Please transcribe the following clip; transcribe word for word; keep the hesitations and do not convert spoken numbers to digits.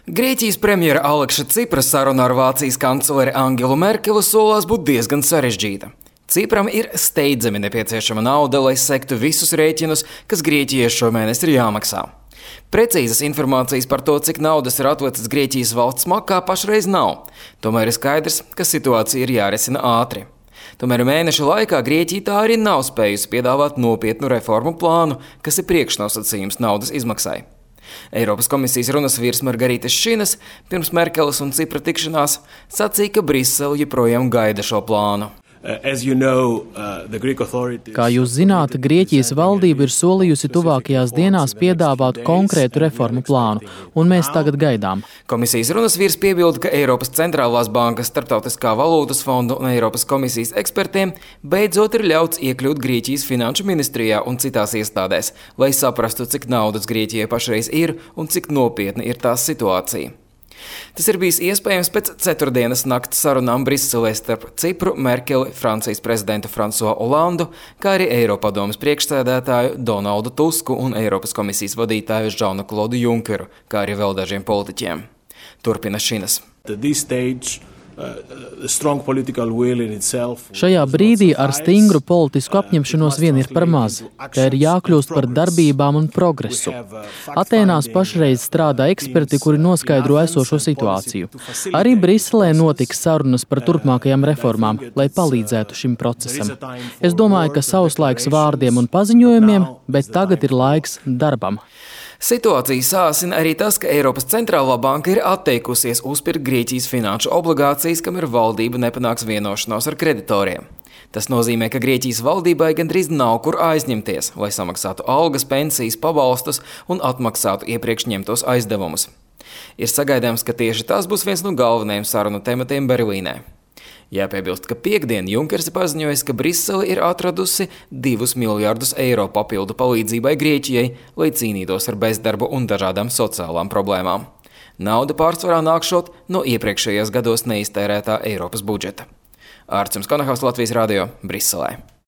Grieķijas premjera Aleksa Cipras saruna ar Vācijas kancleri Angelu Merkeli solās būt diezgan sarežģīta. Cipram ir steidzami nepieciešama nauda, lai sektu visus rēķinus, kas Grieķijai šomēnes ir jāmaksā. Precīzas informācijas par to, cik naudas ir atvecis Grieķijas valsts makā, pašreiz nav. Tomēr ir skaidrs, ka situācija ir jārisina ātri. Tomēr mēneša laikā Grieķija tā arī nav spējusi piedāvāt nopietnu reformu plānu, kas ir priekšnosacījums naudas izmaksai. Eiropas komisijas runas vīrs Margaritis Šinas pirms Merkeles un Cipra tikšanās sacīja, ka Brisele joprojām gaida šo plānu. Kā jūs zināt, Grieķijas valdība ir solījusi tuvākajās dienās piedāvāt konkrētu reformu plānu, un mēs tagad gaidām. Komisijas runas vīrs piebilda, ka Eiropas centrālās bankas, Starptautiskā valūtas fonda un Eiropas komisijas ekspertiem beidzot ir ļauts iekļūt Grieķijas finanšu ministrijā un citās iestādēs, lai saprastu, cik naudas Grieķijai pašreiz ir un cik nopietna ir tās situācija. Tas ir bijis iespējams pēc ceturtdienas nakts sarunām Briselē starp Cipru, Merkeli, Francijas prezidentu Fransuā Olandu, kā arī Eiropadomes priekšsēdētāju Donaldu Tusku un Eiropas komisijas vadītāju Žanu Klodu Junkeru, kā arī vēl dažiem politiķiem. Turpina Šinas. Šajā brīdī ar stingru politisku apņemšanos vien ir par maz. Te ir jākļūst par darbībām un progresu. Atēnās pašreiz strādā eksperti, kuri noskaidro esošo situāciju. Arī Briselē notiks sarunas par turpmākajām reformām, lai palīdzētu šim procesam. Es domāju, ka savs laiks vārdiem un paziņojumiem, bet tagad ir laiks darbam. Situāciju sāsina arī tas, ka Eiropas centrālā banka ir atteikusies uzpirkt Grieķijas finanšu obligācijas, kamēr valdība nepanāks vienošanos ar kreditoriem. Tas nozīmē, ka Grieķijas valdībai gandrīz nav kur aizņemties, lai samaksātu algas, pensijas, pabalstus un atmaksātu iepriekš ņemtos aizdevumus. Ir sagaidāms, ka tieši tas būs viens no galvenajiem sarunu tematiem Berlīnē. Jāpiebilst, ka piekdien Junkers paziņojis, ka Brisele ir atradusi divus miljardus eiro papildu palīdzībai Grieķijai, lai cīnītos ar bezdarbu un dažādām sociālām problēmām. Nauda pārsvarā nākšot no iepriekšējos gados neiztērētā Eiropas budžeta. Ārcums Konahaus, Latvijas radio, Briselē.